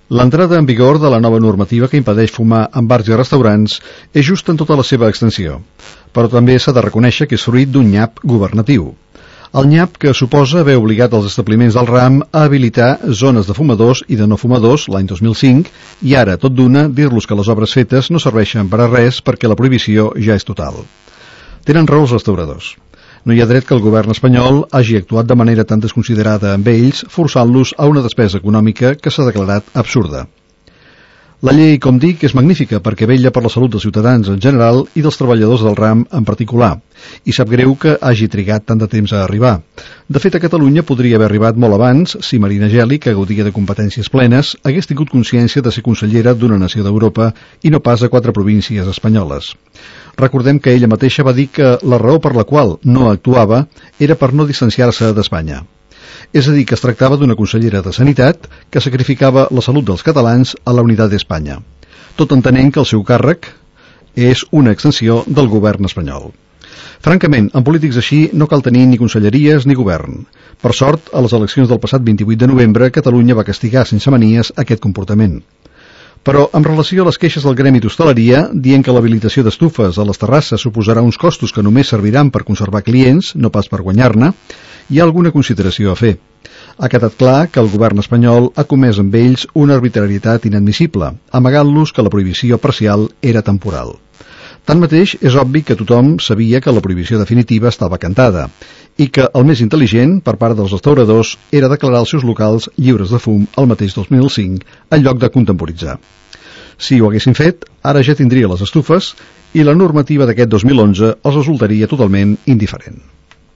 L'entrada en vigor de la nova normativa que impedeix fumar en bars i restaurants és just en tota la seva extensió, però també s'ha de reconèixer que és fruit d'un nyap governatiu. El nyap que suposa haver obligat els establiments del ram a habilitar zones de fumadors i de no fumadors l'any 2005 i ara, tot d'una, dir-los que les obres fetes no serveixen per a res perquè la prohibició ja és total. Tenen raó els restauradors. No hi ha dret que el govern espanyol hagi actuat de manera tan desconsiderada amb ells, forçant-los a una despesa econòmica que s'ha declarat absurda. La llei, com dic, és magnífica perquè vetlla per la salut dels ciutadans en general i dels treballadors del ram en particular, i sap greu que hagi trigat tant de temps a arribar. De fet, a Catalunya podria haver arribat molt abans si Marina Geli, que gaudia de competències plenes, hagués tingut consciència de ser consellera d'una nació d'Europa i no pas a 4 províncies espanyoles. Recordem que ella mateixa va dir que la raó per la qual no actuava era per no distanciar-se d'Espanya. És a dir, que es tractava d'una consellera de Sanitat que sacrificava la salut dels catalans a la unitat d'Espanya, tot entenent que el seu càrrec és una extensió del govern espanyol. Francament, en polítics així no cal tenir ni conselleries ni govern. Per sort, a les eleccions del passat 28 de novembre, Catalunya va castigar sense manies aquest comportament. Però, en relació a les queixes del gremi d'hostaleria, dient que l'habilitació d'estufes a les terrasses suposarà uns costos que només serviran per conservar clients, no pas per guanyar-ne, hi ha alguna consideració a fer. Ha quedat clar que el govern espanyol ha comès amb ells una arbitrarietat inadmissible, amagant-los que la prohibició parcial era temporal. Tanmateix, és obvi que tothom sabia que la prohibició definitiva estava cantada i que el més intel·ligent, per part dels restauradors, era declarar els seus locals lliures de fum el mateix 2005, en lloc de contemporitzar. Si ho haguessin fet, ara ja tindria les estufes i la normativa d'aquest 2011 els resultaria totalment indiferent.